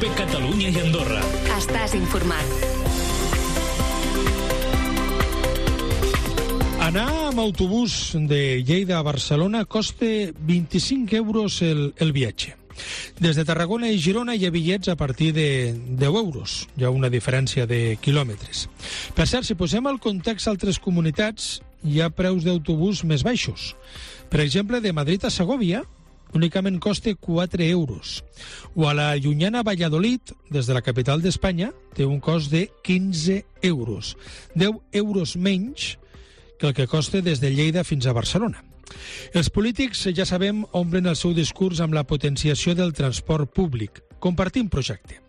COPE Catalunya i Andorra. Estàs informat. Anar amb autobús de Lleida a Barcelona costa 25 euros el viatge. Des de Tarragona i Girona hi ha bitllets a partir de 10 euros. Hi ha una diferència de quilòmetres. Per cert, si posem al context altres comunitats, hi ha preus d'autobús més baixos. Per exemple, de Madrid a Segòvia únicament costa 4 euros. O a la llunyana Valladolid, des de la capital d'Espanya, té un cost de 15 euros. 10 euros menys que el que costa des de Lleida fins a Barcelona. Els polítics, ja sabem, omplen el seu discurs amb la potenciació del transport públic. Compartim projecte.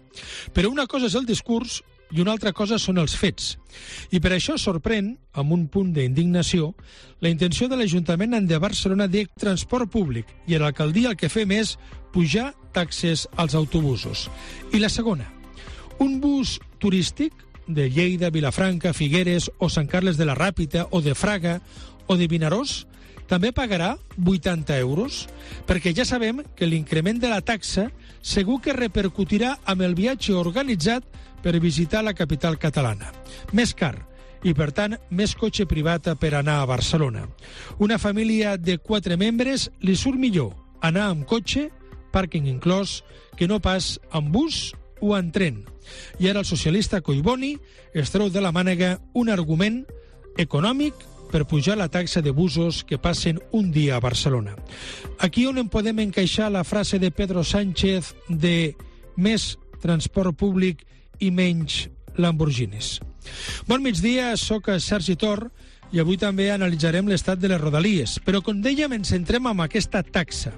Però una cosa és el discurs i una altra cosa són els fets. I per això sorprèn, amb un punt d'indignació, la intenció de l'Ajuntament de Barcelona de transport públic, i a l'alcaldia el que fem és pujar taxes als autobusos. I la segona, un bus turístic de Lleida, Vilafranca, Figueres o Sant Carles de la Ràpita o de Fraga o de Vinaròs també pagarà 80 euros, perquè ja sabem que l'increment de la taxa segur que repercutirà amb el viatge organitzat per visitar la capital catalana. Més car i, per tant, més cotxe privat per anar a Barcelona. Una família de 4 membres li surt millor anar amb cotxe, pàrquing inclòs, que no pas amb bus o en tren. I ara el socialista Collboni es treu de la mànega un argument econòmic per pujar la taxa de busos que passen un dia a Barcelona. Aquí on en podem encaixar la frase de Pedro Sánchez de més transport públic i menys Lamborghinis. Bon migdia, soc Sergi Tor i avui també analitzarem l'estat de les Rodalies. Però, com dèiem, ens centrem en aquesta taxa.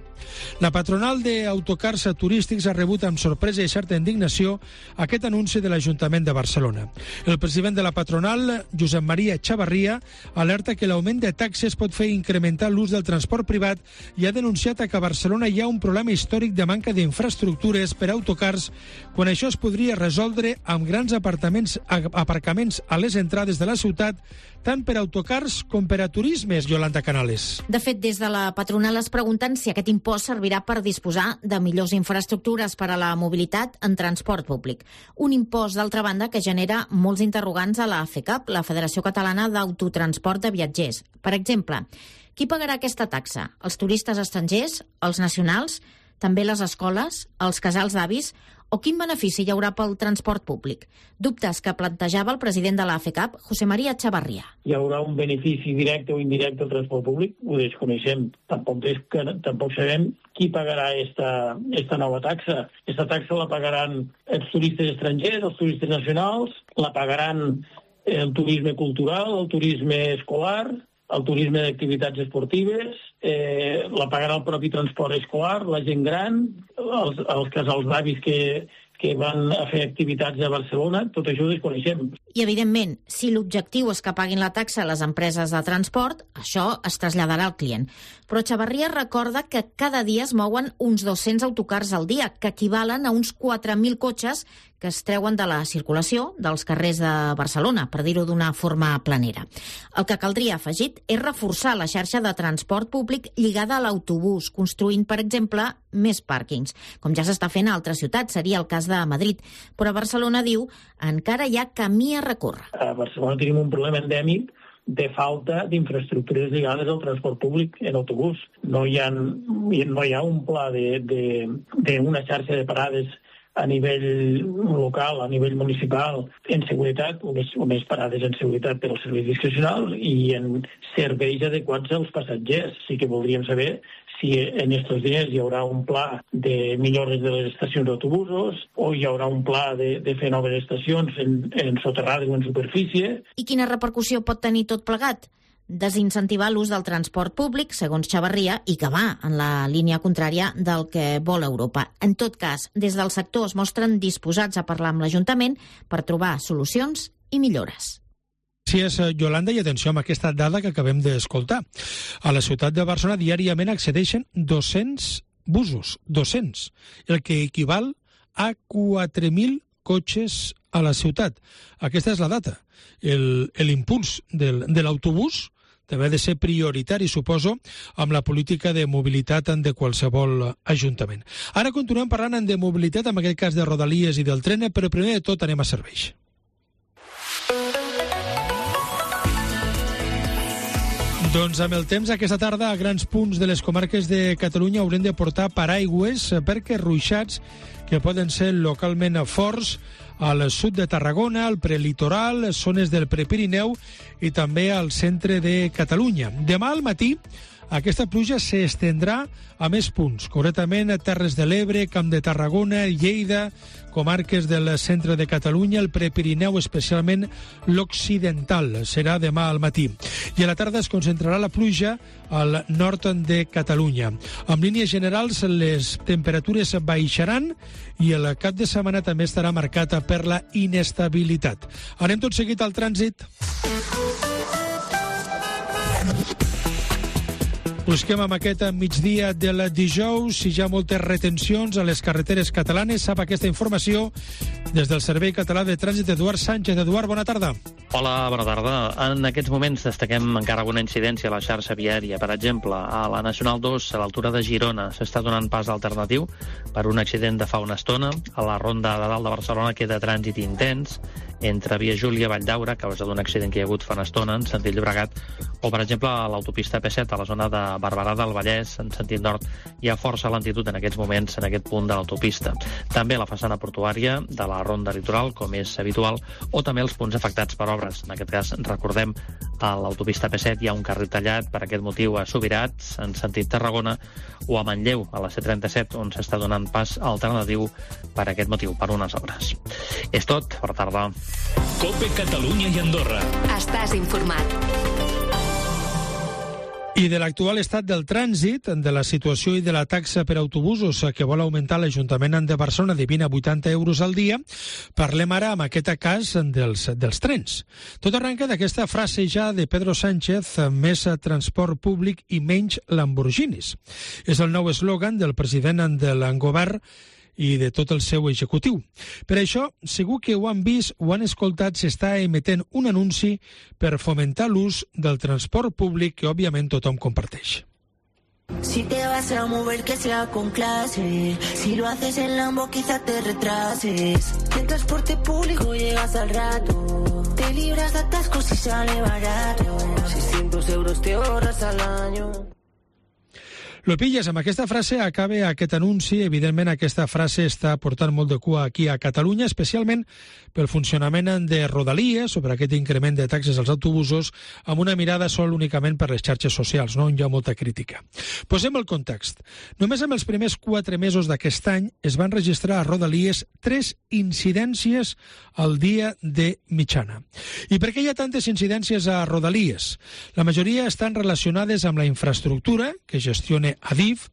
La patronal d'autocars turístics ha rebut amb sorpresa i certa indignació aquest anunci de l'Ajuntament de Barcelona. El president de la patronal, Josep Maria Chavarria, alerta que l'augment de taxes pot fer incrementar l'ús del transport privat i ha denunciat que a Barcelona hi ha un problema històric de manca d'infraestructures per a autocars, quan això es podria resoldre amb grans aparcaments a les entrades de la ciutat, tant per a autocars com per a turismes, Yolanda Canales. De fet, des de la patronal es pregunten si aquest impost servirà per disposar de millors infraestructures per a la mobilitat en transport públic. Un impost, d'altra banda, que genera molts interrogants a la FECAP, la Federació Catalana d'Autotransport de Viatgers. Per exemple, qui pagarà aquesta taxa? Els turistes estrangers? Els nacionals? També les escoles? Els casals d'avis? O quin benefici hi haurà pel transport públic? Dubtes que plantejava el president de la FECAP, José María Chavarria. Hi haurà un benefici directe o indirecte al transport públic? Ho desconeixem. Tampoc sabem qui pagarà esta nova taxa. Aquesta taxa la pagaran els turistes estrangers, els turistes nacionals, la pagaran el turisme cultural, el turisme escolar, el turisme d'activitats esportives, la pagarà el propi transport escolar, la gent gran, els casals d'avis que van a fer activitats a Barcelona, tot això ho desconeixem. I, evidentment, si l'objectiu és que paguin la taxa a les empreses de transport, això es traslladarà al client. Però Chavarria recorda que cada dia es mouen uns 200 autocars al dia, que equivalen a uns 4.000 cotxes que es treuen de la circulació dels carrers de Barcelona, per dir-ho d'una forma planera. El que caldria, afegit, és reforçar la xarxa de transport públic lligada a l'autobús, construint, per exemple, més pàrquings, com ja s'està fent a altres ciutats, seria el cas de Madrid. Però a Barcelona, diu, encara hi ha camí a recórrer. A Barcelona tenim un problema endèmic de falta d'infraestructures lligades al transport públic en autobús. No hi ha un pla d'una xarxa de parades a nivell local, a nivell municipal, en seguretat, unes parades en seguretat per als serveis discrecionals i en serveis adequats als passatgers. Sí que voldríem saber si en aquests diners hi haurà un pla de millores de les estacions d'autobusos o hi haurà un pla de fer noves estacions en soterrades o en superfície. I quina repercussió pot tenir tot plegat? Desincentivar l'ús del transport públic, segons Chavarria, i que va en la línia contrària del que vol Europa. En tot cas, des del sector es mostren disposats a parlar amb l'Ajuntament per trobar solucions i millores. Gràcies, Yolanda, i atenció amb aquesta dada que acabem d'escoltar. A la ciutat de Barcelona diàriament accedeixen 200 busos, 200, el que equival a 4.000 cotxes a la ciutat. Aquesta és la data. L'impuls de l'autobús també ha de ser prioritari, suposo, amb la política de mobilitat de qualsevol ajuntament. Ara continuem parlant de mobilitat, en aquest cas de Rodalies i del tren, però primer de tot anem a serveis. Doncs amb el temps, aquesta tarda, a grans punts de les comarques de Catalunya haurem de portar paraigües perquè ruixats que poden ser localment forts al sud de Tarragona, al prelitoral, zones del Prepirineu i també al centre de Catalunya. Demà al matí aquesta pluja s'estendrà a més punts, concretament a Terres de l'Ebre, Camp de Tarragona, Lleida, comarques del centre de Catalunya, el Prepirineu, especialment l'occidental. Serà demà al matí. I a la tarda es concentrarà la pluja al nord de Catalunya. En línies generals, les temperatures baixaran i el cap de setmana també estarà marcat per la inestabilitat. Anem tot seguit al trànsit. Busquem amb aquest migdia del dijous si hi ha moltes retencions a les carreteres catalanes. Sap aquesta informació des del Servei Català de Trànsit. Eduard Sánchez. Eduard, bona tarda. Hola, bona tarda. En aquests moments destaquem encara alguna incidència a la xarxa viària. Per exemple, a la Nacional 2, a l'altura de Girona, s'està donant pas alternatiu per un accident de fa una estona. A la ronda de dalt de Barcelona queda trànsit intens entre Via Júlia i Valldaura, a causa d'un accident que hi ha hagut fa una estona en sentit Llobregat, o, per exemple, a l'autopista P7, a la zona de Barberà del Vallès, en sentit nord, hi ha força lentitud en aquests moments en aquest punt de l'autopista. També a la façana portuària de la ronda litoral, com és habitual, o també els punts afectats per obres. En aquest cas, recordem, a l'autopista P7 hi ha un carril tallat per aquest motiu a Subirats, en sentit Tarragona, o a Manlleu, a la C37, on s'està donant pas alternatiu per aquest motiu, per unes obres. És tot, bona tarda. COPE Catalunya i Andorra. Estàs informat. I de l'actual estat del trànsit, de la situació i de la taxa per autobusos que vol augmentar l'Ajuntament de Barcelona de 20 a 80 euros al dia, parlem ara amb aquest cas dels trens. Tot arrenca d'aquesta frase ja de Pedro Sánchez, més transport públic i menys Lamborghinis. És el nou eslògan del president del govern i de tot el seu executiu. Per això, segur que ho han vist o han escoltat, s'està emetent un anunci per fomentar l'ús del transport públic que, òbviament, tothom comparteix. Si te vas a mover, que sea con clase. Si lo haces en Lambo, quizá te retrases. En transporte público llegas al rato. Te libras de atascos y sale barato. 600 euros te ahorras al año. Lo pilles, amb aquesta frase acaba aquest anunci. Evidentment, aquesta frase està portant molt de cua aquí a Catalunya, especialment pel funcionament de Rodalies, sobre aquest increment de taxes als autobusos, amb una mirada sol únicament per les xarxes socials, no? On hi ha molta crítica. Posem el context. Només en els primers 4 mesos d'aquest any es van registrar a Rodalies 3 incidències al dia de mitjana. I per què hi ha tantes incidències a Rodalies? La majoria estan relacionades amb la infraestructura que gestiona Adif.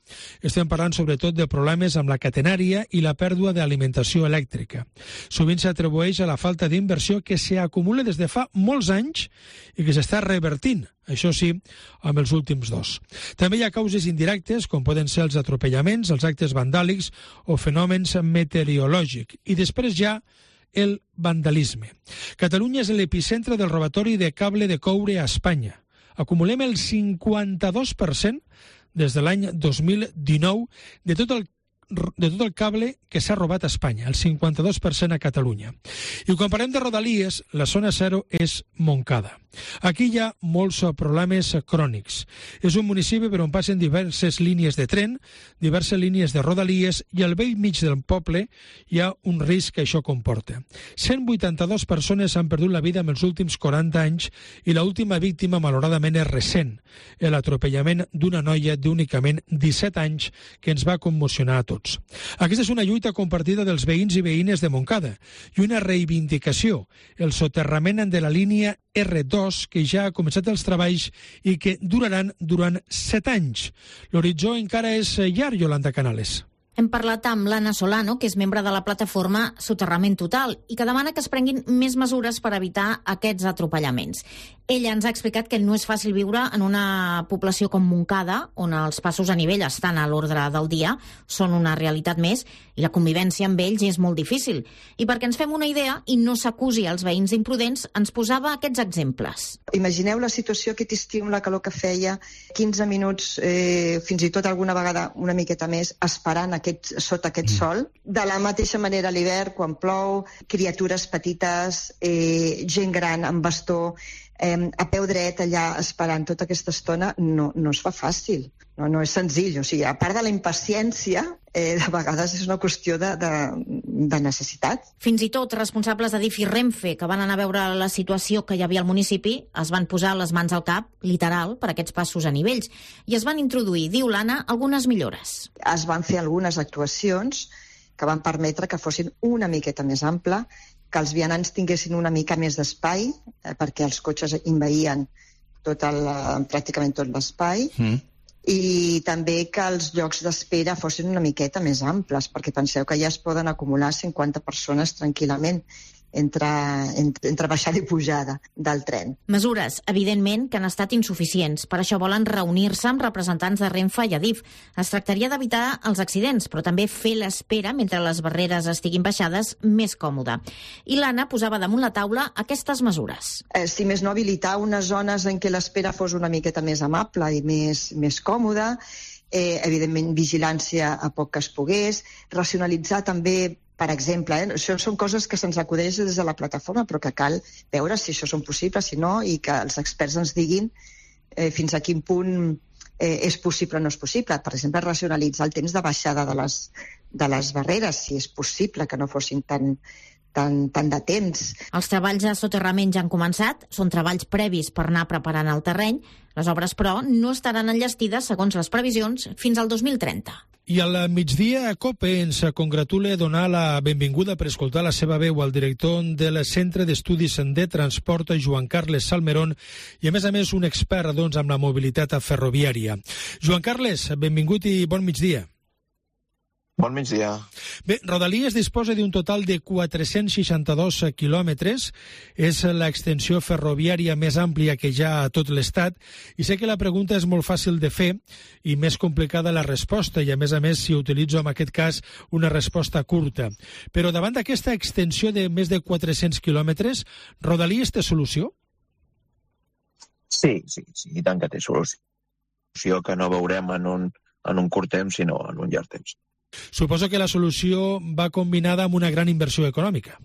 Estem parlant sobretot de problemes amb la catenària i la pèrdua d'alimentació elèctrica. Sovint s'atribueix a la falta d'inversió que s'acumula des de fa molts anys i que s'està revertint, això sí, amb els últims 2. També hi ha causes indirectes, com poden ser els atropellaments, els actes vandàlics o fenòmens meteorològics. I després hi ha el vandalisme. Catalunya és l'epicentre del robatori de cable de coure a Espanya. Acumulem el 52% des de l'any 2019 de tot el cable que s'ha robat a Espanya, el 52% a Catalunya. I quan parlem de Rodalies, la zona 0 és Montcada. Aquí hi ha molts problemes crònics. És un municipi per on passen diverses línies de tren, diverses línies de Rodalies, i al vell mig del poble hi ha un risc que això comporta. 182 persones han perdut la vida en els últims 40 anys i l'última víctima, malauradament, és recent, l'atropellament d'una noia d'únicament 17 anys que ens va commocionar a tots. Aquesta és una lluita compartida dels veïns i veïnes de Montcada i una reivindicació, el soterrament de la línia R2, que ja ha començat els treballs i que duraran durant 7 anys. L'horitzó encara és llarg, Yolanda Canales. Hem parlat amb l'Anna Solano, que és membre de la plataforma Soterrament Total, i que demana que es prenguin més mesures per evitar aquests atropellaments. Ella ens ha explicat que no és fàcil viure en una població com Montcada, on els passos a nivell estan a l'ordre del dia, són una realitat més, i la convivència amb ells és molt difícil. I perquè ens fem una idea i no s'acusi als veïns imprudents, ens posava aquests exemples. Imagineu la situació aquest estiu amb la calor que feia, 15 minuts, fins i tot alguna vegada una miqueta més, esperant sota aquest sol. De la mateixa manera a l'hivern, quan plou, criatures petites, gent gran amb bastó, a peu dret allà esperant tota aquesta estona, no es fa fàcil, no és senzill. O sigui, a part de la impaciència, de vegades és una qüestió de necessitat. Fins i tot responsables d'Adif i Renfe, que van anar a veure la situació que hi havia al municipi, es van posar les mans al cap, literal, per aquests passos a nivells, i es van introduir, diu l'Anna, algunes millores. Es van fer algunes actuacions que van permetre que fossin una miqueta més ampla, que els vianants tinguessin una mica més d'espai, perquè els cotxes envaïen pràcticament tot l'espai, i també que els llocs d'espera fossin una miqueta més amples, perquè penseu que ja es poden acumular 50 persones tranquil·lament entre baixada i pujada del tren. Mesures, evidentment, que han estat insuficients. Per això volen reunir-se amb representants de Renfe i Adif. Es tractaria d'evitar els accidents, però també fer l'espera mentre les barreres estiguin baixades més còmode. I l'Anna posava damunt la taula aquestes mesures. Si més no, habilitar unes zones en què l'espera fos una miqueta més amable i més còmoda, evidentment vigilància a poc que es pogués, racionalitzar també, per exemple, això són coses que se'ns acudeix des de la plataforma, però que cal veure si això són possibles, si no, i que els experts ens diguin fins a quin punt és possible o no és possible. Per exemple, racionalitzar el temps de baixada de les barreres, si és possible que no fossin tant de temps. Els treballs de soterrament ja han començat, són treballs previs per anar preparant el terreny. Les obres, però, no estaran enllestides, segons les previsions, fins al 2030. I al migdia, COPE ens congratula donar la benvinguda per escoltar la seva veu al director del Centre d'Estudis de Transport, Joan Carles Salmerón, i a més un expert amb la mobilitat ferroviària. Joan Carles, benvingut i bon migdia. Bon migdia. Bé, Rodalies disposa d'un total de 462 quilòmetres. És l'extensió ferroviària més àmplia que hi ha a tot l'Estat. I sé que la pregunta és molt fàcil de fer i més complicada la resposta. I a més, si utilitzo en aquest cas una resposta curta. Però davant d'aquesta extensió de més de 400 quilòmetres, Rodalies té solució? Sí, i tant que té solució, que no veurem en un curt temps, sinó en un llarg temps. Suposo que la solució va combinada amb una gran inversió econòmica.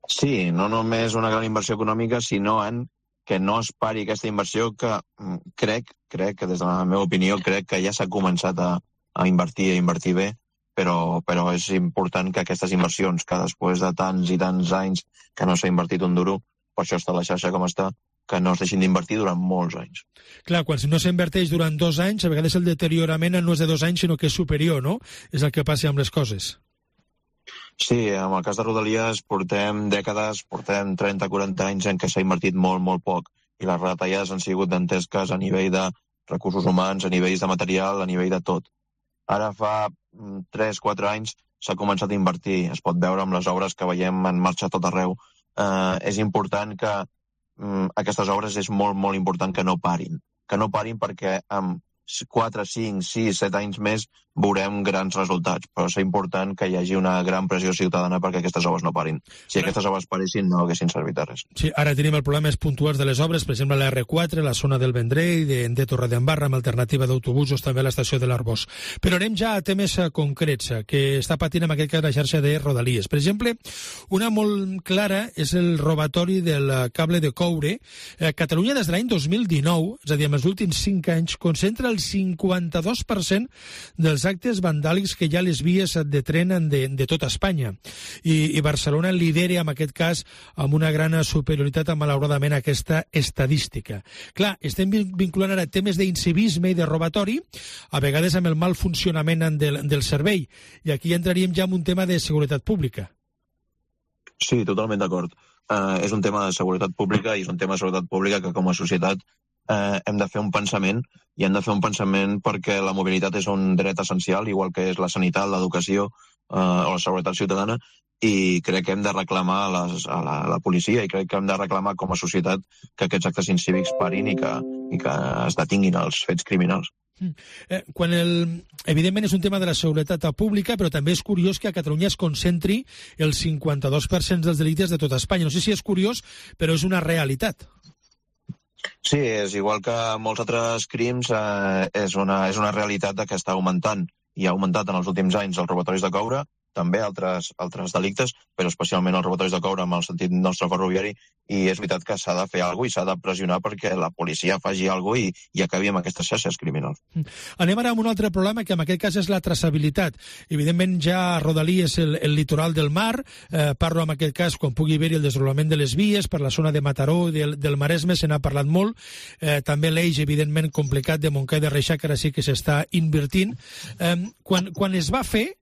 Sí, no només una gran inversió econòmica, sinó en que no es pari aquesta inversió que crec que des de la meva opinió, crec que ja s'ha començat a invertir bé, però és important que aquestes inversions, que després de tants i tants anys que no s'ha invertit un duro, per això està la xarxa com està, que no es deixin d'invertir durant molts anys. Clar, quan no s'inverteix durant 2 anys, a vegades el deteriorament no és de 2 anys, sinó que és superior, no? És el que passa amb les coses. Sí, en el cas de Rodalies portem dècades, portem 30-40 anys en què s'ha invertit molt, molt poc, i les retallades han sigut dantesques a nivell de recursos humans, a nivell de material, a nivell de tot. Ara fa 3-4 anys s'ha començat a invertir, es pot veure amb les obres que veiem en marxa a tot arreu. És important que aquestes obres és molt, molt important que no parin perquè amb 4, 5, 6, 7 anys més veurem grans resultats, però és important que hi hagi una gran pressió ciutadana perquè aquestes obres no parin. Si aquestes obres paressin, no haguessin servit de res. Sí, ara tenim els problemes puntuals de les obres, per exemple la R4, la zona del Vendrell, de Torredembarra, amb alternativa d'autobusos, també a l'estació de l'Arbós. Però anem ja a temes concrets que està patint en aquest cas la xarxa de Rodalies. Per exemple, una molt clara és el robatori del cable de coure. Catalunya des de l'any 2019, és a dir, en els últims 5 anys, concentra el 52% dels actes vandàlics que hi ha a les vies de tren de tota Espanya. I Barcelona lidera, en aquest cas, amb una gran superioritat a, malauradament, aquesta estadística. Clar, estem vinculant ara temes d'incivisme i de robatori, a vegades amb el mal funcionament del servei. I aquí entraríem ja en un tema de seguretat pública. Sí, totalment d'acord. És un tema de seguretat pública i és un tema de seguretat pública que com a societat hem de fer un pensament, i hem de fer un pensament perquè la mobilitat és un dret essencial, igual que és la sanitat, l'educació o la seguretat ciutadana, i crec que hem de reclamar a la policia i crec que hem de reclamar com a societat que aquests actes incívics parin i que es detinguin els fets criminals. Evidentment és un tema de la seguretat pública, però també és curiós que a Catalunya es concentri el 52% dels delictes de tota Espanya. No sé si és curiós, però és una realitat. Sí, és igual que molts altres crims, és una realitat que està augmentant i ha augmentat en els últims anys els robatoris de coure, també altres delictes, però especialment els robatoris de coure amb el sentit nostre ferroviari, i és veritat que s'ha de fer alguna cosa i s'ha de pressionar perquè la policia faci alguna cosa i acabi amb aquestes xarxes criminals. Anem ara amb un altre problema, que en aquest cas és la traçabilitat. Evidentment ja Rodalí és el litoral del mar, parlo en aquest cas quan pugui haver-hi el desdoblament de les vies per la zona de Mataró i del Maresme, se n'ha parlat molt, també l'eix evidentment complicat de Montcada i de Reixac, que ara sí que s'està invertint. Quan es va fer,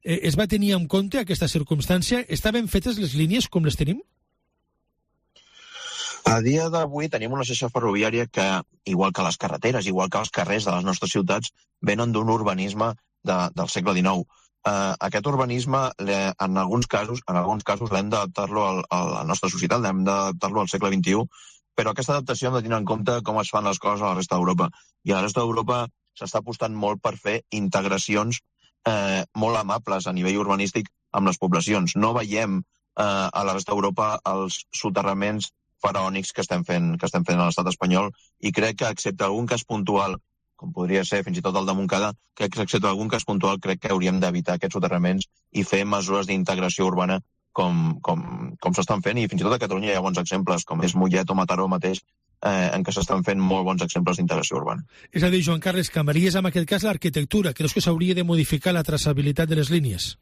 es va tenir en compte aquesta circumstància? Estaven fetes les línies com les tenim? A dia d'avui tenim una xarxa ferroviària que, igual que les carreteres, igual que els carrers de les nostres ciutats, venen d'un urbanisme del segle XIX. Aquest urbanisme, en alguns casos l'hem d'adaptar-lo a la nostra societat, l'hem d'adaptar-lo al segle XXI, però aquesta adaptació hem de tenir en compte com es fan les coses a la resta d'Europa. I a la resta d'Europa s'està apostant molt per fer integracions molt amables a nivell urbanístic amb les poblacions. No veiem a la resta d'Europa els soterraments faraònics que estem fent a l'estat espanyol, i crec que, excepte algun cas puntual, com podria ser fins i tot el de Montcada, crec que hauríem d'evitar aquests soterraments i fer mesures d'integració urbana com s'estan fent, i fins i tot a Catalunya hi ha bons exemples, com és Mollet o Mataró mateix, en què s'estan fent molt bons exemples d'integració urbana. És a dir, Joan Carles, canviaries en aquest cas l'arquitectura. Creus que s'hauria de modificar la traçabilitat de les línies?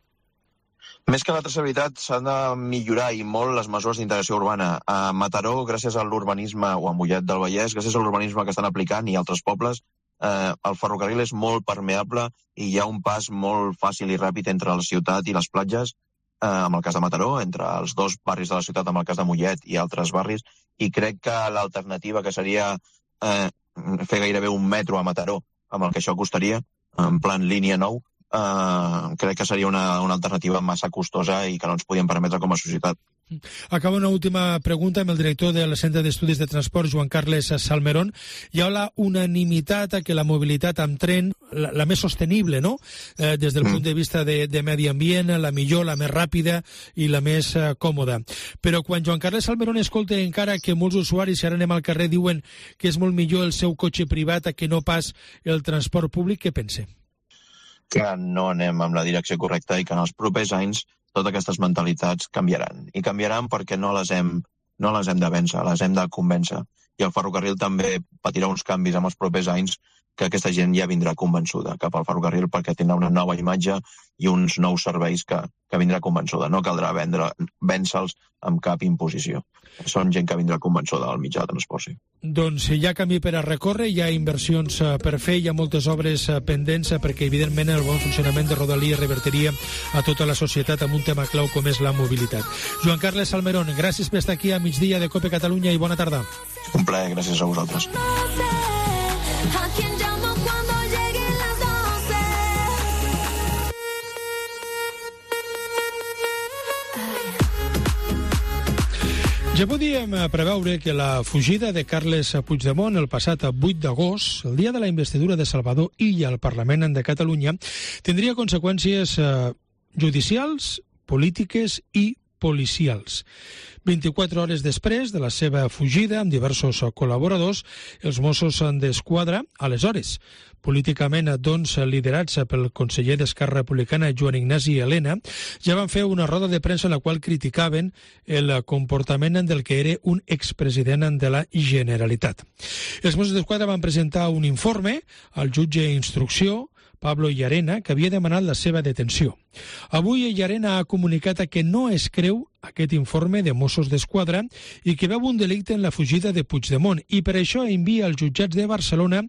Més que la traçabilitat, s'han de millorar i molt les mesures d'integració urbana. A Mataró, gràcies a l'urbanisme, o a Mollet del Vallès, gràcies a l'urbanisme que estan aplicant, i altres pobles, el ferrocarril és molt permeable i hi ha un pas molt fàcil i ràpid entre la ciutat i les platges, en el cas de Mataró, entre els dos barris de la ciutat, en el cas de Mollet i altres barris, i crec que l'alternativa, que seria fer gairebé un metro a Mataró, amb el que això costaria, en plan línia 9, crec que seria una alternativa massa costosa i que no ens podíem permetre com a societat. Acaba una última pregunta amb el director del Centre d'Estudis de Transport, Joan Carles Salmerón. Hi ha la unanimitat a que la mobilitat amb tren, la més sostenible, no? Des del punt de vista de medi ambient, la millor, la més ràpida i la més còmoda. Però quan Joan Carles Salmerón escolta encara que molts usuaris, si ara anem al carrer, diuen que és molt millor el seu cotxe privat que no pas el transport públic, què pensa? Que no anem en la direcció correcta i que en els propers anys totes aquestes mentalitats canviaran. I canviaran perquè no les hem de vèncer, les hem de convèncer. I el ferrocarril també patirà uns canvis en els propers anys, que aquesta gent ja vindrà convençuda cap al ferrocarril, perquè tindrà una nova imatge i uns nous serveis que vindrà convençuda. No caldrà vèncer-los amb cap imposició. Són gent que vindrà convençuda al mitjà de transport, sí. Doncs hi ha camí per a recórrer, hi ha inversions per fer, hi ha moltes obres pendents, perquè evidentment el bon funcionament de Rodalies revertiria a tota la societat amb un tema clau com és la mobilitat. Joan Carles Salmerón, gràcies per estar aquí a migdia de COPE Catalunya i bona tarda. Un plaer, gràcies a vosaltres. Ja podíem preveure que la fugida de Carles Puigdemont el passat 8 d'agost, el dia de la investidura de Salvador Illa al Parlament de Catalunya, tindria conseqüències judicials, polítiques i policials. 24 hores després de la seva fugida amb diversos col·laboradors, els Mossos d'Esquadra, aleshores políticament doncs liderats pel conseller d'Esquerra Republicana Joan Ignasi Elena, ja van fer una roda de premsa en la qual criticaven el comportament del que era un expresident de la Generalitat. Els Mossos d'Esquadra van presentar un informe al jutge d'instrucció, Pablo Llarena, que havia demanat la seva detenció. Avui Llarena ha comunicat que no es creu aquest informe de Mossos d'Esquadra i que veu un delicte en la fugida de Puigdemont, i per això envia als jutjats de Barcelona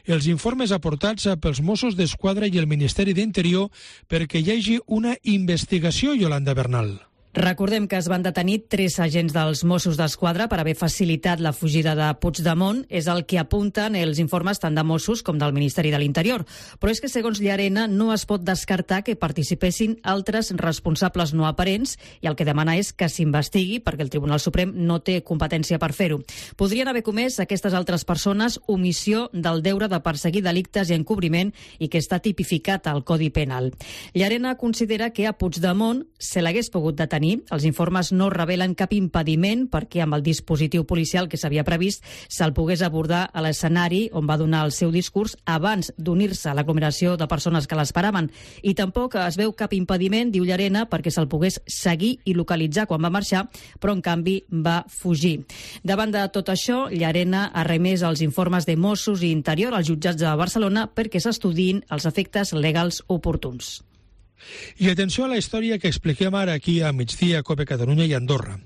els informes aportats pels Mossos d'Esquadra i el Ministeri d'Interior perquè hi hagi una investigació, Yolanda Bernal. Recordem que es van detenir 3 agents dels Mossos d'Esquadra per haver facilitat la fugida de Puigdemont. És el que apunten els informes tant de Mossos com del Ministeri de l'Interior. Però és que, segons Llarena, no es pot descartar que participessin altres responsables no aparents i el que demana és que s'investigui perquè el Tribunal Suprem no té competència per fer-ho. Podrien haver comès aquestes altres persones omissió del deure de perseguir delictes i encobriment i que està tipificat al Codi Penal. Llarena considera que a Puigdemont se l'hagués pogut detenir. Els informes no revelen cap impediment perquè amb el dispositiu policial que s'havia previst se'l pogués abordar a l'escenari on va donar el seu discurs abans d'unir-se a l'aglomeració de persones que l'esperaven. I tampoc es veu cap impediment, diu Llarena, perquè se'l pogués seguir i localitzar quan va marxar, però en canvi va fugir. Davant de tot això, Llarena ha remès els informes de Mossos i Interior als jutjats de Barcelona perquè s'estudiïn els efectes legals oportuns. I atenció a la història que expliquem ara aquí a Migdia, Cope Catalunya i Andorra.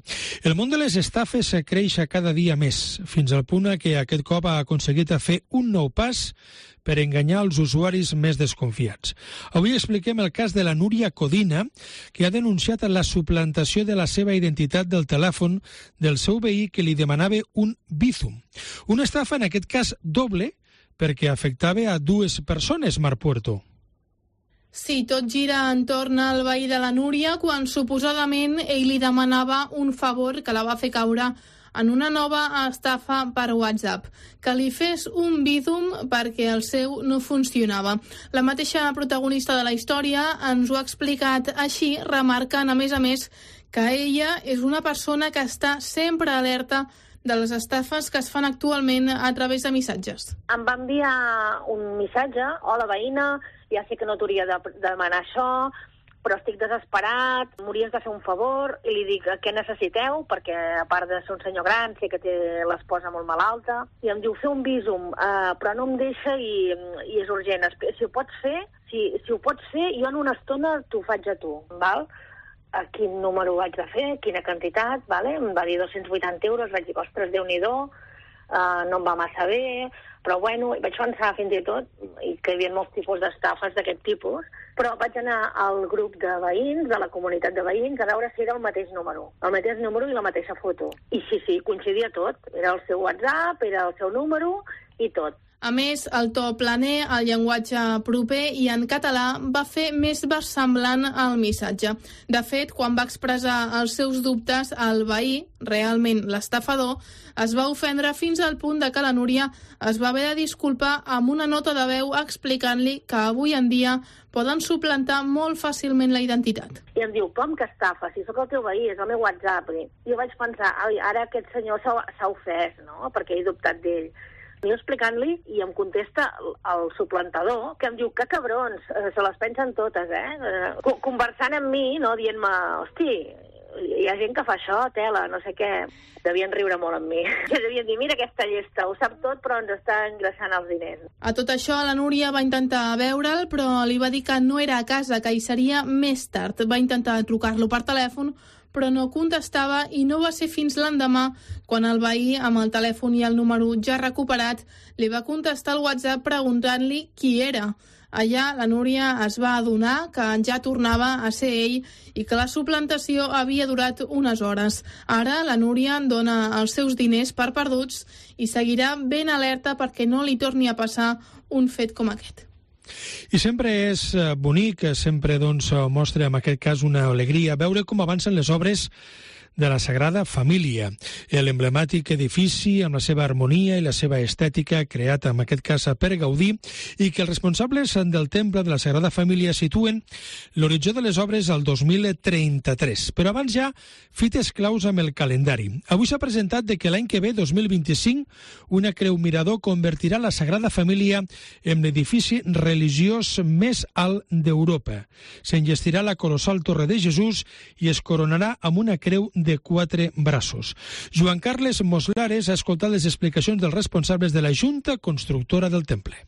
El món de les estafes creix cada dia més, fins al punt que aquest cop ha aconseguit fer un nou pas per enganyar els usuaris més desconfiats. Avui expliquem el cas de la Núria Codina, que ha denunciat la suplantació de la seva identitat del telèfon del seu veí que li demanava un Bizum. Una estafa, en aquest cas, doble, perquè afectava a 2 persones, Marc Puerto. Sí, tot gira entorn al veí de la Núria quan suposadament ell li demanava un favor que la va fer caure en una nova estafa per WhatsApp, que li fes un Bizum perquè el seu no funcionava. La mateixa protagonista de la història ens ho ha explicat així, remarcant a més, que ella és una persona que està sempre alerta de les estafes que es fan actualment a través de missatges. Em va enviar un missatge: hola veïna, ja sé que no t'hauria de demanar això, però estic desesperat, m'hauries de fer un favor. I li dic, què necessiteu? Perquè a part de ser un senyor gran, sé que té l'esposa molt malalta. I em diu, fer un Bizum, però no em deixa i és urgent. Si ho pots fer, si ho pots fer, jo en una estona t'ho faig a tu, val? A quin número ho haig de fer, quina quantitat, vale? Em va dir 280 euros, vaig dir, ostres, Déu-n'hi-do, no em va massa bé, però bueno, vaig pensar fins i tot i que hi havia molts tipus d'estafes d'aquest tipus, però vaig anar al grup de veïns, de la comunitat de veïns, a veure si era el mateix número i la mateixa foto. I sí, coincidia tot, era el seu WhatsApp, era el seu número i tot. A més, el to planer, el llenguatge proper i en català va fer més versemblant el missatge. De fet, quan va expressar els seus dubtes al veí, realment l'estafador, es va ofendre fins al punt de que la Núria es va haver de disculpar amb una nota de veu explicant-li que avui en dia poden suplantar molt fàcilment la identitat. I em diu, com que estafa? Si sóc el teu veí, és el meu WhatsApp. I jo vaig pensar, ara aquest senyor s'ha ofès, no?, perquè he dubtat d'ell. Jo explicant-li i em contesta el suplantador, que em diu, que cabrons, se les pensen totes, conversant amb mi, no, dient-me, hosti, hi ha gent que fa això, tela, no sé què. Devien riure molt amb mi. Devien dir, mira aquesta llesta, ho sap tot, però ens està engreixant els diners. A tot això, la Núria va intentar veure'l, però li va dir que no era a casa, que hi seria més tard. Va intentar trucar-lo per telèfon, però no contestava i no va ser fins l'endemà quan el veí, amb el telèfon i el número ja recuperat, li va contestar al WhatsApp preguntant-li qui era. Allà la Núria es va adonar que ja tornava a ser ell i que la suplantació havia durat unes hores. Ara la Núria dona els seus diners per perduts i seguirà ben alerta perquè no li torni a passar un fet com aquest. I sempre és bonic, sempre mostra en aquest cas una alegria veure com avancen les obres de la Sagrada Família, l'emblemàtic edifici amb la seva harmonia i la seva estètica creat en aquest cas per Gaudí i que els responsables del temple de la Sagrada Família situen l'horitzó de les obres al 2033. Però abans ja fites claus amb el calendari. Avui s'ha presentat que l'any que ve, 2025, una creu mirador convertirà la Sagrada Família en l'edifici religiós més alt d'Europa. S'enllestirà la colossal Torre de Jesús i es coronarà amb una creu de 4 braços. Joan Carles Moslares ha escoltat les explicacions dels responsables de la Junta Constructora del Temple.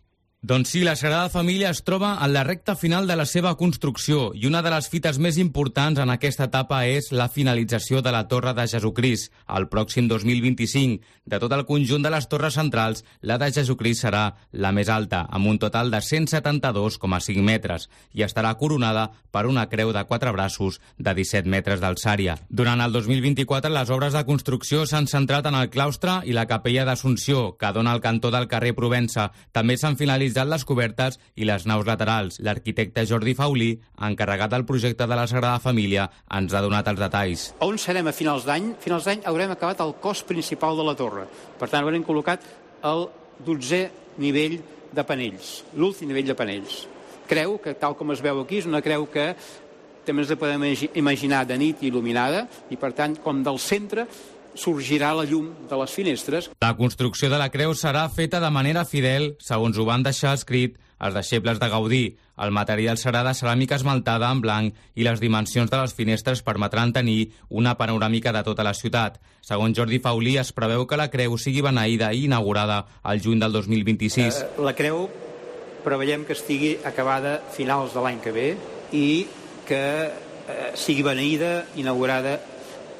Doncs sí, la Sagrada Família es troba en la recta final de la seva construcció i una de les fites més importants en aquesta etapa és la finalització de la Torre de Jesucrist. El pròxim 2025, de tot el conjunt de les torres centrals, la de Jesucrist serà la més alta, amb un total de 172,5 metres, i estarà coronada per una creu de 4 braços de 17 metres d'alçària. Durant el 2024, les obres de construcció s'han centrat en el claustre i la capella d'Assumpció, que dona al cantó del carrer Provença. També s'han finalitzat les cobertes i les naus laterals. L'arquitecte Jordi Faulí, encarregat del projecte de la Sagrada Família, ens ha donat els detalls. On serem a finals d'any? A finals d'any haurem acabat el cos principal de la torre. Per tant, haurem col·locat el 12è nivell de panells, l'últim nivell de panells. Creu que, tal com es veu aquí, és una creu que també ens la podem imaginar de nit il·luminada i, per tant, com del centre, sorgirà la llum de les finestres. La construcció de la creu serà feta de manera fidel, segons ho van deixar escrit els deixebles de Gaudí. El material serà de ceràmica esmaltada en blanc i les dimensions de les finestres permetran tenir una panoràmica de tota la ciutat. Segons Jordi Faulí, es preveu que la creu sigui beneïda i inaugurada al juny del 2026. La creu preveiem que estigui acabada a finals de l'any que ve i que sigui beneïda, inaugurada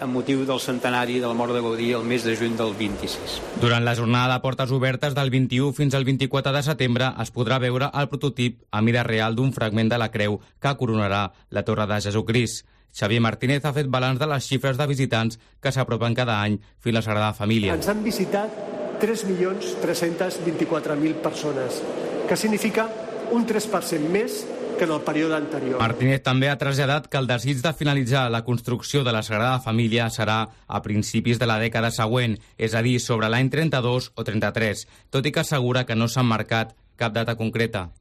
amb motiu del centenari de la mort de Gaudí el mes de juny del 26. Durant la jornada de portes obertes del 21 fins al 24 de setembre es podrà veure el prototip a mida real d'un fragment de la creu que coronarà la Torre de Jesucrist. Xavier Martínez ha fet balanç de les xifres de visitants que s'apropen cada any fins a la Sagrada Família. Ens han visitat 3.324.000 persones, que significa un 3% més que en el període anterior. Martínez també ha traslladat que el desig de finalitzar la construcció de la Sagrada Família serà a principis de la dècada següent, és a dir, sobre l'any 32 o 33, tot i que assegura que no s'ha marcat cap data concreta.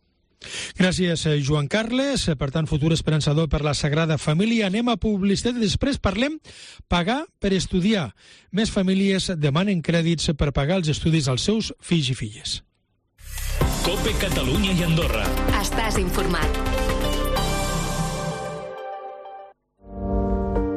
Gràcies, Joan Carles. Per tant, futur esperançador per la Sagrada Família. Anem a publicitat i després parlem pagar per estudiar. Més famílies demanen crèdits per pagar els estudis als seus fills i filles. COPE Catalunya i Andorra. Estàs informat.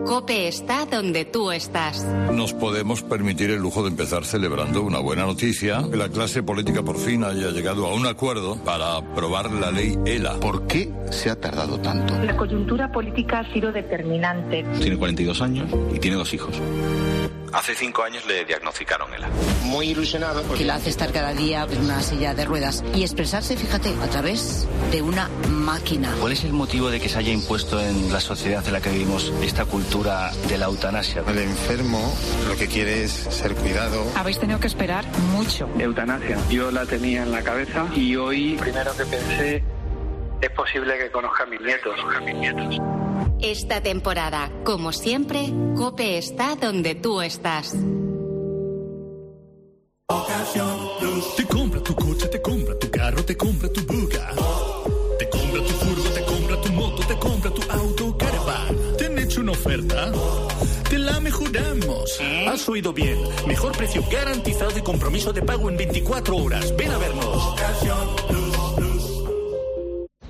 COPE está donde tú estás. Nos podemos permitir el lujo de empezar celebrando una buena noticia. Que la clase política por fin haya llegado a un acuerdo para aprobar la ley ELA. ¿Por qué se ha tardado tanto? La coyuntura política ha sido determinante. Tiene 42 años y tiene 2 hijos. Hace 5 años le diagnosticaron ELA. Muy ilusionado. Que la hace estar cada día en una silla de ruedas y expresarse, fíjate, a través de una máquina. ¿Cuál es el motivo de que se haya impuesto en la sociedad en la que vivimos esta cultura de la eutanasia? El enfermo lo que quiere es ser cuidado. Habéis tenido que esperar mucho. Eutanasia. Yo la tenía en la cabeza y hoy, primero que pensé, es posible que conozca a mis nietos. Esta temporada, como siempre, COPE está donde tú estás. Te compra tu coche, te compra tu carro, te compra tu buga. Te compra tu furgo, te compra tu moto, te compra tu auto, caravan. ¿Te han hecho una oferta? Te la mejoramos. Has oído bien. Mejor precio garantizado y compromiso de pago en 24 horas. Ven a vernos.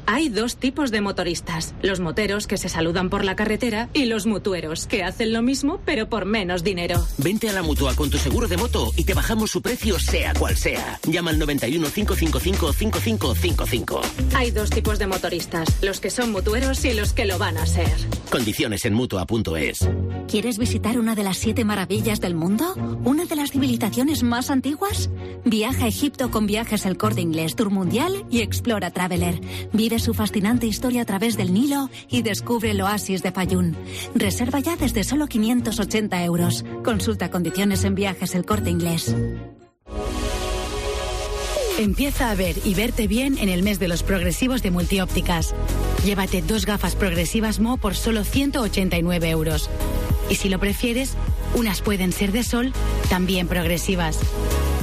Hay 2 tipos de motoristas, los moteros que se saludan por la carretera y los mutueros que hacen lo mismo pero por menos dinero. Vente a la Mutua con tu seguro de moto y te bajamos su precio sea cual sea. Llama al 91 555 5555. Hay 2 tipos de motoristas, los que son mutueros y los que lo van a ser. Condiciones en Mutua.es. ¿Quieres visitar una de las 7 maravillas del mundo? ¿Una de las civilizaciones más antiguas? Viaja a Egipto con Viajes El Corte Inglés, Tour Mundial y Explora Traveler. Vive su fascinante historia a través del Nilo y descubre el oasis de Fayún. Reserva ya desde solo 580 euros. Consulta condiciones en Viajes El Corte Inglés. Empieza a ver y verte bien en el mes de los progresivos de Multiópticas. Llévate 2 gafas progresivas Mo por solo 189 euros. Y si lo prefieres, unas pueden ser de sol, también progresivas.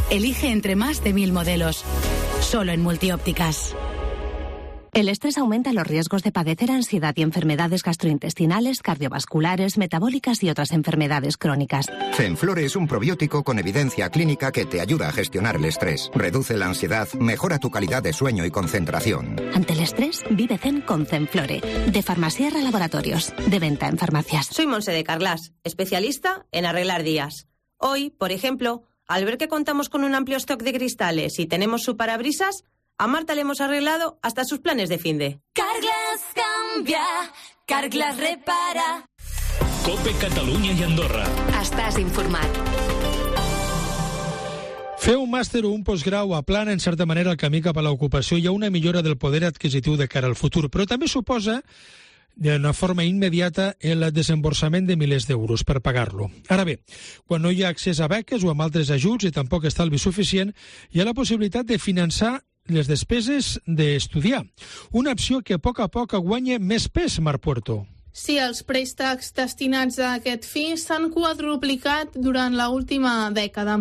Elige entre más de 1000 modelos. Solo en Multiópticas. El estrés aumenta los riesgos de padecer ansiedad y enfermedades gastrointestinales, cardiovasculares, metabólicas y otras enfermedades crónicas. Zenflore es un probiótico con evidencia clínica que te ayuda a gestionar el estrés, reduce la ansiedad, mejora tu calidad de sueño y concentración. Ante el estrés, vive zen con Zenflore, de Farmasierra Laboratorios, de venta en farmacias. Soy Monse de Carlas, especialista en arreglar días. Hoy, por ejemplo, al ver que contamos con un amplio stock de cristales y tenemos su parabrisas, A Marta le hemos arreglado hasta sus planes de finde. Carglass cambia, Carglass repara. COPE Catalunya i Andorra. Estàs informat. Fer un màster o un postgrau aplana, en certa manera, el camí cap a l'ocupació i a una millora del poder adquisitiu de cara al futur, però també suposa d'una forma immediata el desemborsament de milers d'euros per pagar-lo. Ara bé, quan no hi ha accés a beques o amb altres ajuts i tampoc estalvi suficient, hi ha la possibilitat de finançar les despeses d'estudiar. Una opció que a poc guanya més pes, Marc Puerto. Sí, els préstecs destinats a aquest fi s'han quadruplicat durant l'última dècada.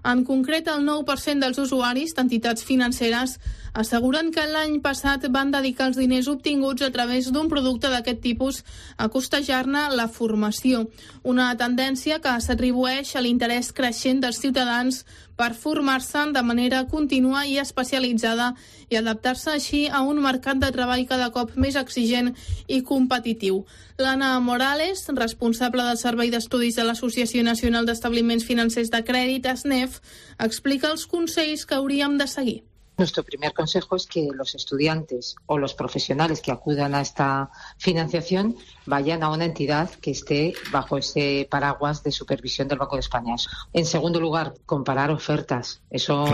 En concret, el 9% dels usuaris d'entitats financeres asseguren que l'any passat van dedicar els diners obtinguts a través d'un producte d'aquest tipus a costejar-ne la formació. Una tendència que s'atribueix a l'interès creixent dels ciutadans per formar-se de manera contínua i especialitzada i adaptar-se així a un mercat de treball cada cop més exigent i competitiu. L'Anna Morales, responsable del Servei d'Estudis de l'Associació Nacional d'Establiments Financers de Crèdit, ASNEF, explica els consells que hauríem de seguir. Nuestro primer consejo es que los estudiantes o los profesionales que acudan a esta financiación vayan a una entidad que esté bajo ese paraguas de supervisión del Banco de España. En segundo lugar, comparar ofertas. Eso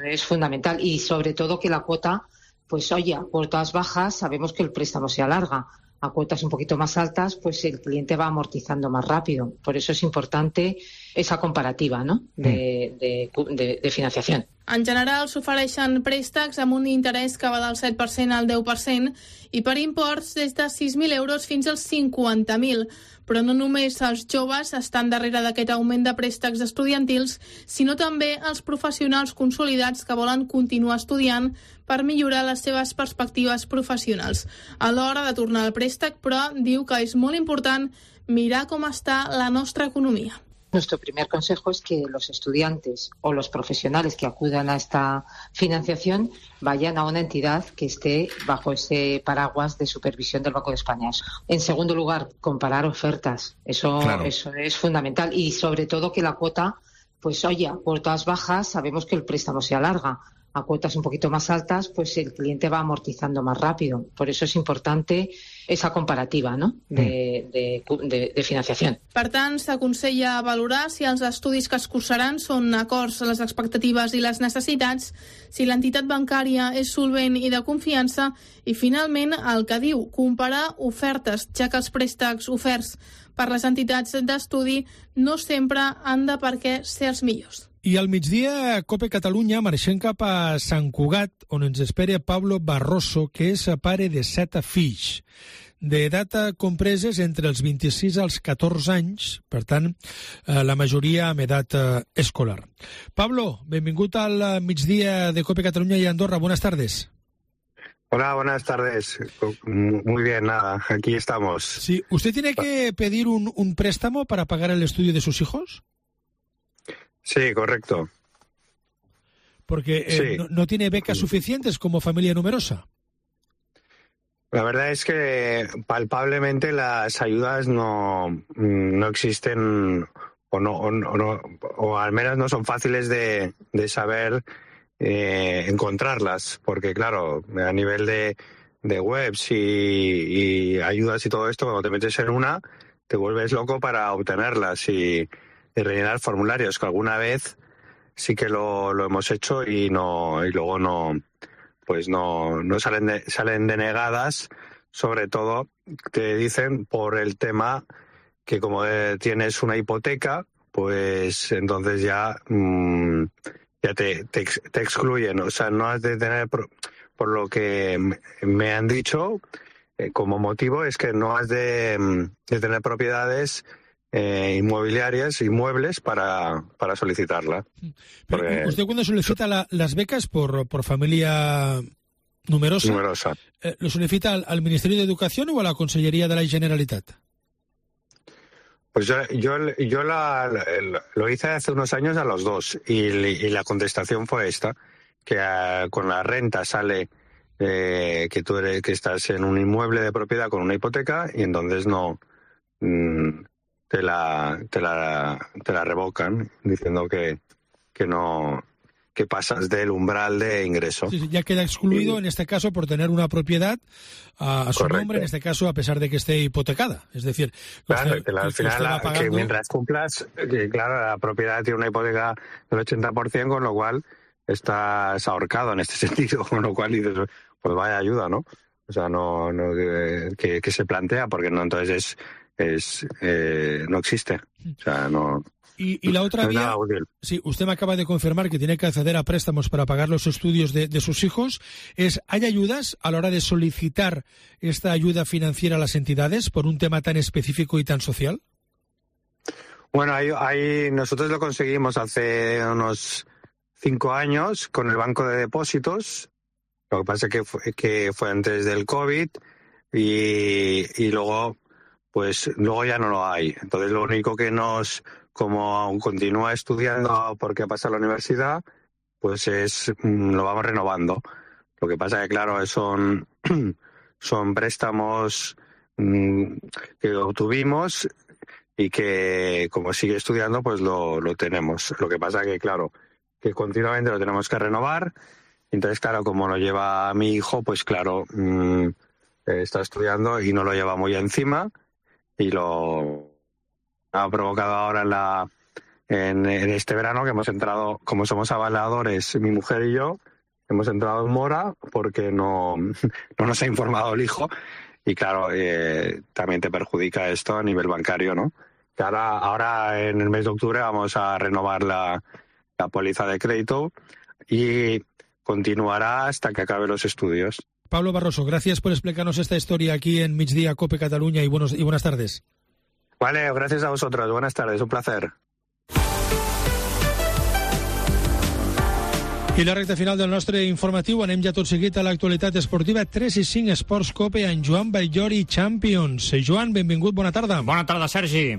es fundamental. Y sobre todo que la cuota, pues oye, a cuotas bajas sabemos que el préstamo se alarga. A cuotas un poquito más altas, pues el cliente va amortizando más rápido. Por eso es importante esa comparativa, ¿no?, de financiación. En general s'ofereixen préstecs amb un interès que va del 7% al 10% i per imports des de 6.000 euros fins als 50.000. Però no només els joves estan darrere d'aquest augment de préstecs estudiantils, sinó també els professionals consolidats que volen continuar estudiant per millorar les seves perspectives professionals. A l'hora de tornar al préstec, però, diu que és molt important mirar com està la nostra economia. Nuestro primer consejo es que los estudiantes o los profesionales que acudan a esta financiación vayan a una entidad que esté bajo ese paraguas de supervisión del Banco de España. En segundo lugar, comparar ofertas. Eso es fundamental. Y sobre todo que la cuota, pues oye, a cuotas bajas sabemos que el préstamo se alarga. A cuotas un poquito más altas, pues el cliente va amortizando más rápido. Por eso es importante esa comparativa, ¿no?, de financiación. Per tant, s'aconsella valorar si els estudis que es cursaran són acords a les expectatives i les necessitats, si l'entitat bancària és solvent i de confiança, i finalment el que diu, comparar ofertes, ja que els préstecs oferts per les entitats d'estudi no sempre han de per què ser els millors. I al migdia, COPE Catalunya, marxem cap a Sant Cugat, on ens espera Pablo Barroso, que és pare de 7 fills, d'edat compreses entre els 26 als 14 anys, per tant, la majoria amb edat escolar. Pablo, benvingut al migdia de COPE Catalunya i Andorra. Buenas tardes. Hola, buenas tardes. Muy bien, nada, aquí estamos. Sí, ¿usted tiene que pedir un préstamo para pagar el estudio de sus hijos? Sí, correcto. Porque sí. No tiene becas suficientes como familia numerosa. La verdad es que palpablemente las ayudas no existen o al menos no son fáciles de saber encontrarlas, porque claro, a nivel de webs y ayudas y todo esto, cuando te metes en una, te vuelves loco para obtenerlas y rellenar formularios, que alguna vez sí que lo hemos hecho y luego no salen denegadas, sobre todo te dicen por el tema que como tienes una hipoteca, pues entonces ya te excluyen. O sea, no has de tener, por lo que me han dicho, como motivo es que no has de tener propiedades inmuebles para solicitarla. Porque ¿usted cuando solicita las becas por familia numerosa. ¿Lo solicita al Ministerio de Educación o a la Consellería de la Generalitat? Pues yo lo hice hace unos años a los dos y la contestación fue esta, que con la renta sale que tú que estás en un inmueble de propiedad con una hipoteca y entonces no te la revocan diciendo que que pasas del umbral de ingreso. Sí, ya queda excluido en este caso por tener una propiedad a su nombre, en este caso a pesar de que esté hipotecada. Es decir, claro, al final que mientras cumplas, que claro, la propiedad tiene una hipoteca del 80%, con lo cual estás ahorcado en este sentido, con lo cual dices, pues vaya ayuda, ¿no? O sea, no que se plantea, porque no, entonces no existe. O sea, no. Y la otra vía, sí, usted me acaba de confirmar que tiene que acceder a préstamos para pagar los estudios de sus hijos. ¿Hay ayudas a la hora de solicitar esta ayuda financiera a las entidades por un tema tan específico y tan social? Bueno, ahí nosotros lo conseguimos hace unos 5 años con el Banco de Depósitos. Lo que pasa es que fue antes del COVID y luego ya no lo hay. Entonces lo único que como aún continúa estudiando porque pasa a la universidad, pues lo vamos renovando. Lo que pasa es que, claro, son préstamos que obtuvimos y que, como sigue estudiando, pues lo tenemos. Lo que pasa es que, claro, que continuamente lo tenemos que renovar. Entonces, claro, como lo lleva mi hijo, pues claro, está estudiando y no lo lleva muy encima y lo ha provocado ahora en este verano que hemos entrado, como somos avaladores, mi mujer y yo, hemos entrado en mora porque no nos ha informado el hijo y claro, también te perjudica esto a nivel bancario, ¿no? Que ahora en el mes de octubre vamos a renovar la póliza de crédito y continuará hasta que acabe los estudios. Pablo Barroso, gracias por explicarnos esta historia aquí en Migdia Cope Cataluña y buenas tardes. Vale, gracias a vosotros. Buenas tardes, un placer. I la recta final del nostre informatiu, anem ja tot seguit a l'actualitat esportiva. 3 i 5 Esports Cope en Joan Vallllori Champions. Joan, benvingut, bona tarda. Bona tarda, Sergi.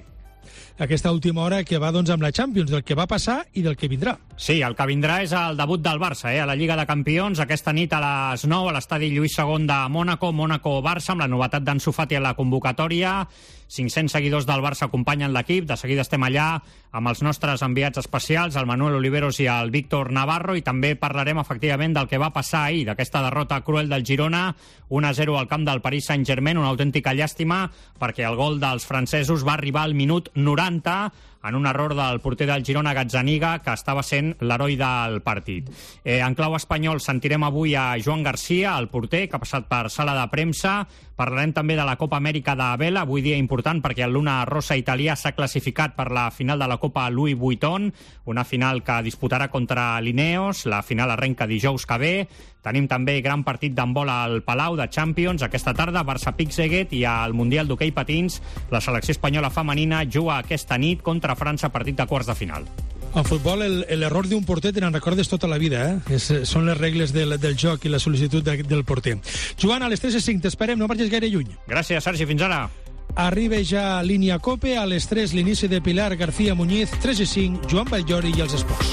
Aquesta última hora que va amb la Champions, del que va passar i del que vindrà. Sí, el que vindrà és el debut del Barça, a la Lliga de Campions, aquesta nit a les 9 a l'estadi Lluís II de Mònaco-Barça, amb la novetat d'Ansu Fati a la convocatòria. 500 seguidors del Barça acompanyen l'equip. De seguida estem allà amb els nostres enviats especials, el Manuel Oliveros i el Víctor Navarro, i també parlarem efectivament del que va passar ahir, d'aquesta derrota cruel del Girona, 1-0 al camp del Paris Saint-Germain, una autèntica llàstima, perquè el gol dels francesos va arribar al minut 90, en un error del porter del Girona, Gazzaniga, que estava sent l'heroi del partit. En clau espanyol sentirem avui a Joan Garcia, el porter, que ha passat per sala de premsa. Parlarem també de la Copa Amèrica de vela, avui dia important perquè el Luna Rossa italià s'ha classificat per la final de la Copa Louis Vuitton, una final que disputarà contra l'Ineos. La final arrenca dijous que ve. Tenim també gran partit d'handbol al Palau de Champions aquesta tarda, Barça-Pixeguet, i al Mundial d'Hoquei Patins la selecció espanyola femenina juga aquesta nit contra França, partit de quarts de final. En futbol, l'error d'un porter te n'en recordes tota la vida, són les regles del joc i la sol·licitud del porter. Joan, a les 3 i 5 t'esperem, no marxis gaire lluny. Gràcies, Sergi, fins ara. Arriba ja Línia Cope, a les 3 l'inici de Pilar García Muñiz, 3 i 5, Joan Vallllori i els esports.